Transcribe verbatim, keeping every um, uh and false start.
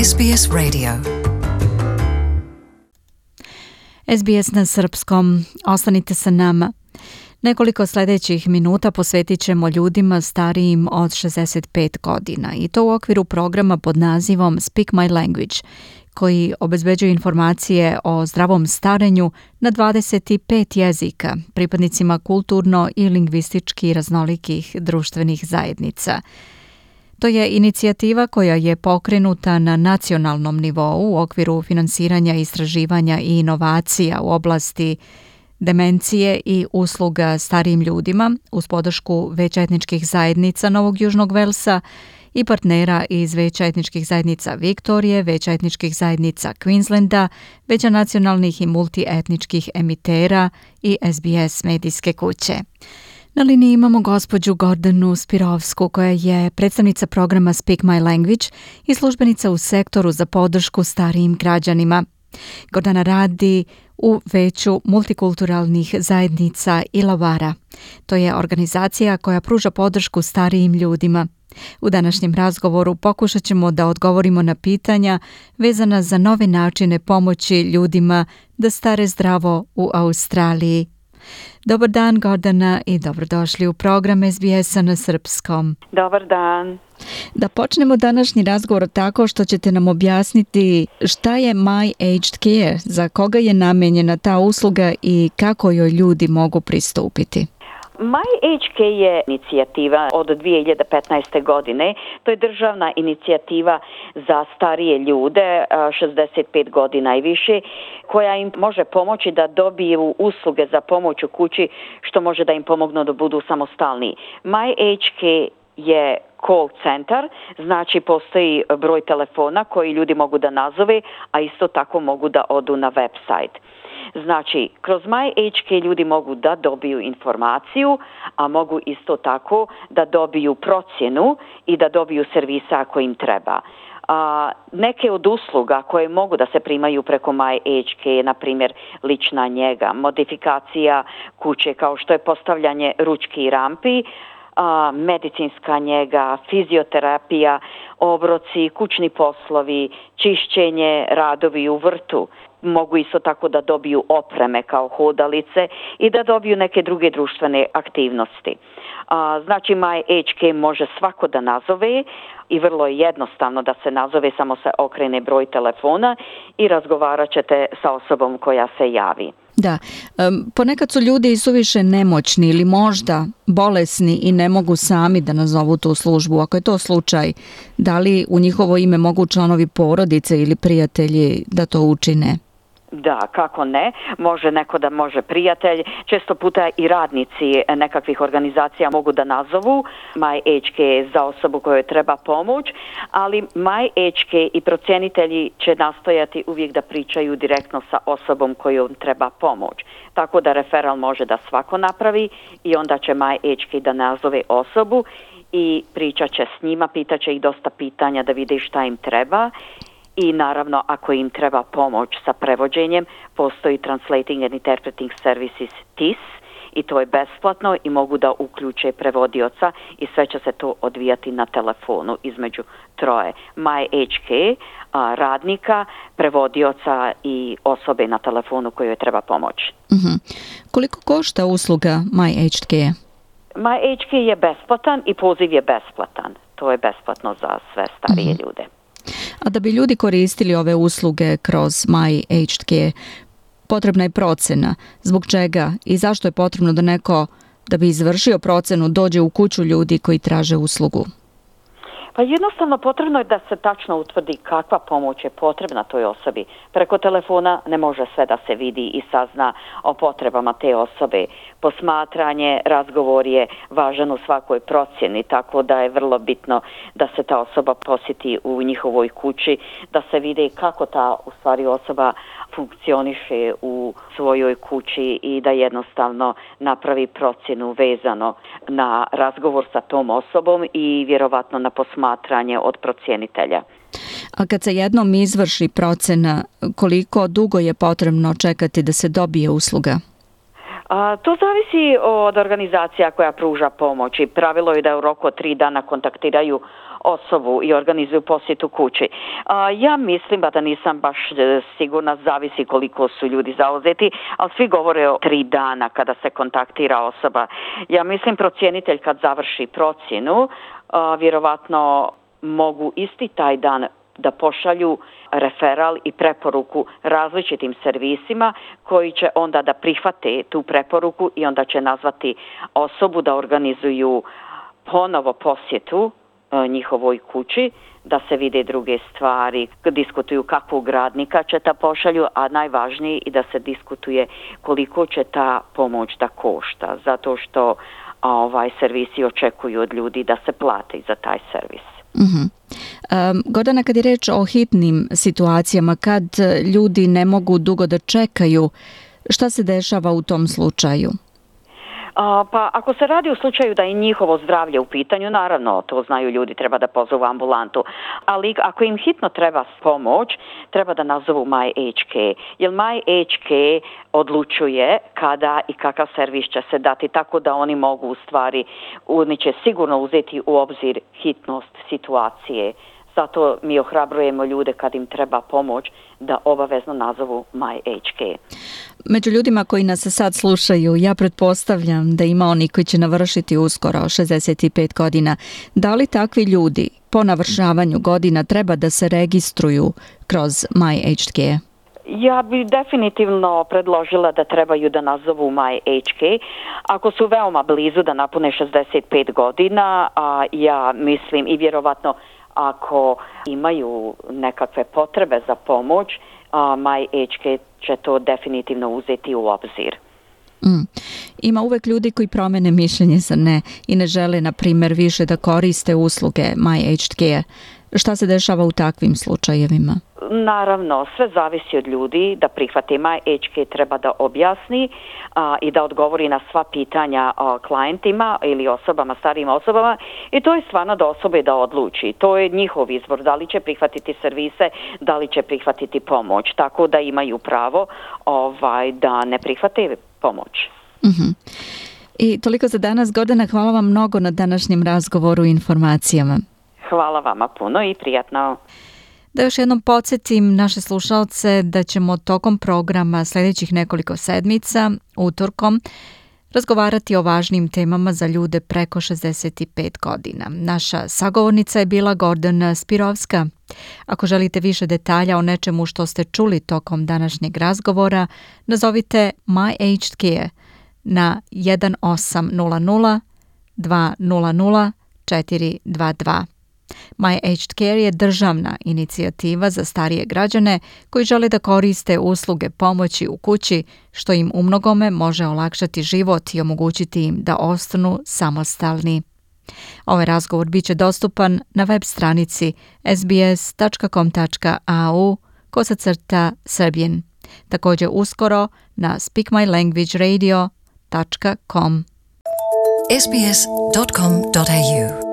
S B S Radio. S B S na srpskom. Ostanite sa nama. Nekoliko sljedećih minuta posvetit ćemo ljudima starijim od šezdeset pet godina i to u okviru programa pod nazivom Speak My Language, koji obezbeđuje informacije o zdravom starenju na dvadeset pet jezika pripadnicima kulturno i lingvistički raznolikih društvenih zajednica. To je inicijativa koja je pokrenuta na nacionalnom nivou u okviru finansiranja, istraživanja i inovacija u oblasti demencije i usluga starijim ljudima uz podršku Veća etničkih zajednica Novog Južnog Velsa i partnera iz Veća etničkih zajednica Viktorije, Veća etničkih zajednica Queenslanda, Veća nacionalnih i multietničkih emitera i S B S medijske kuće. Na liniji imamo gospođu Gordanu Spirovsku, koja je predstavnica programa Speak My Language i službenica u sektoru za podršku starijim građanima. Gordana radi u Veću multikulturalnih zajednica Illawarra. To je organizacija koja pruža podršku starijim ljudima. U današnjem razgovoru pokušat ćemo da odgovorimo na pitanja vezana za nove načine pomoći ljudima da stare zdravo u Australiji. Dobar dan, Gordana, i dobrodošli u program S B S-a na srpskom. Dobar dan. Da počnemo današnji razgovor tako što ćete nam objasniti šta je My Aged Care, za koga je namenjena ta usluga i kako joj ljudi mogu pristupiti. My Aged Care je inicijativa od dvije hiljade petnaeste. godine. To je državna inicijativa za starije ljude, šezdeset pet godina i više, koja im može pomoći da dobiju usluge za pomoć u kući, što može da im pomognu da budu samostalni. My Aged Care je call centar, znači postoji broj telefona koji ljudi mogu da nazove, a isto tako mogu da odu na website. Znači, kroz My Aged Care ljudi mogu da dobiju informaciju, a mogu isto tako da dobiju procjenu i da dobiju servisa ako im treba. A, neke od usluga koje mogu da se primaju preko My Aged Care, na primjer lična njega, modifikacija kuće kao što je postavljanje ručki i rampi, a, medicinska njega, fizioterapija, obroci, kućni poslovi, čišćenje, radovi u vrtu. Mogu isto tako da dobiju opreme kao hodalice i da dobiju neke druge društvene aktivnosti. A, znači, My Aged Care može svako da nazove i vrlo je jednostavno da se nazove, samo se okrene broj telefona i razgovarat ćete sa osobom koja se javi. Da, um, ponekad su ljudi suviše nemoćni ili možda bolesni i ne mogu sami da nazovu tu službu. Ako je to slučaj, da li u njihovo ime mogu članovi porodice ili prijatelji da to učine? Da, kako ne, može neko da može prijatelj, često puta i radnici nekakvih organizacija mogu da nazovu My Aged Care za osobu kojoj treba pomoć, ali My Aged Care i procjenitelji će nastojati uvijek da pričaju direktno sa osobom kojom treba pomoć. Tako da referal može da svako napravi i onda će My Aged Care da nazove osobu i pričat će s njima, pitat će ih dosta pitanja da vide šta im treba. I naravno, ako im treba pomoć sa prevođenjem, postoji Translating and Interpreting Services T I S i to je besplatno i mogu da uključe prevodioca i sve će se to odvijati na telefonu između troje. My Aged Care, radnika, prevodioca i osobe na telefonu kojoj treba pomoć. Mm-hmm. Koliko košta usluga My Aged Care? My Aged Care je besplatan i poziv je besplatan. To je besplatno za sve starije mm-hmm. ljude. A da bi ljudi koristili ove usluge kroz My Aged Care, potrebna je procena. Zbog čega i zašto je potrebno da neko, da bi izvršio procenu, dođe u kuću ljudi koji traže uslugu? Pa jednostavno potrebno je da se tačno utvrdi kakva pomoć je potrebna toj osobi. Preko telefona ne može sve da se vidi i sazna o potrebama te osobe. Posmatranje, razgovor je važan u svakoj procjeni, tako da je vrlo bitno da se ta osoba posjeti u njihovoj kući, da se vidi kako ta u stvari osoba funkcioniše u svojoj kući i da jednostavno napravi procjenu vezano na razgovor sa tom osobom i vjerovatno na posmatranje od procjenitelja. A kad se jednom izvrši procena, koliko dugo je potrebno čekati da se dobije usluga? A, to zavisi od organizacija koja pruža pomoć i pravilo je da u roku od tri dana kontaktiraju osobu i organizuju posjetu kući. A, ja mislim, ba da nisam baš sigurna, zavisi koliko su ljudi zauzeti, ali svi govore o tri dana kada se kontaktira osoba. Ja mislim procjenitelj kad završi procjenu, a, vjerovatno mogu isti taj dan da pošalju referal i preporuku različitim servisima koji će onda da prihvate tu preporuku i onda će nazvati osobu da organizuju ponovo posjetu e, njihovoj kući, da se vide druge stvari, diskutuju kakvog radnika će ta pošalju, a najvažnije i da se diskutuje koliko će ta pomoć da košta, zato što ovaj servisi očekuju od ljudi da se plate za taj servis. Mm-hmm. Um, Gordana, kad je reč o hitnim situacijama, kad ljudi ne mogu dugo da čekaju, šta se dešava u tom slučaju? A, pa ako se radi u slučaju da je njihovo zdravlje u pitanju, naravno to znaju ljudi, treba da pozovu ambulantu, ali ako im hitno treba pomoć, treba da nazovu MyHK, jer MyHK odlučuje kada i kakav servis će se dati, tako da oni mogu u stvari, oni će sigurno uzeti u obzir hitnost situacije. Zato mi ohrabrujemo ljude kad im treba pomoć da obavezno nazovu MyHK. Među ljudima koji nas sad slušaju, ja pretpostavljam da ima oni koji će navršiti uskoro šezdeset pet godina. Da li takvi ljudi po navršavanju godina treba da se registruju kroz MyHK? Ja bi definitivno predložila da trebaju da nazovu MyHK. Ako su veoma blizu da napune šezdeset pet godina, a ja mislim i vjerovatno ako imaju nekakve potrebe za pomoć, a MyHK će to definitivno uzeti u obzir. Mm. Ima uvek ljudi koji promene mišljenje za ne i ne žele, na primjer, više da koriste usluge MyHK. Šta se dešava u takvim slučajevima? Naravno, sve zavisi od ljudi da prihvate. MyHK treba da objasni a, i da odgovori na sva pitanja a, klijentima ili osobama, starijim osobama, i to je stvarno da osobe da odluči. To je njihov izbor, da li će prihvatiti servise, da li će prihvatiti pomoć, tako da imaju pravo ovaj, da ne prihvate pomoć. Mm-hmm. I toliko za danas. Gordana, hvala vam mnogo na današnjem razgovoru i informacijama. Hvala vama puno i prijatno. Da još jednom podsjetim naše slušalce da ćemo tokom programa sljedećih nekoliko sedmica, utorkom, razgovarati o važnim temama za ljude preko šezdeset pet godina. Naša sagovornica je bila Gordana Spirovska. Ako želite više detalja o nečemu što ste čuli tokom današnjeg razgovora, nazovite MyHK na jedan osam nula nula dva nula nula četiri dva dva. MyHK je državna inicijativa za starije građane koji žele da koriste usluge pomoći u kući, što im umnogome može olakšati život i omogućiti im da ostanu samostalni. Ovaj razgovor bit će dostupan na web stranici s b s tačka com tačka a u kosacrta Serbian. Također uskoro na speak my language radio dot com. s b s dot com dot a u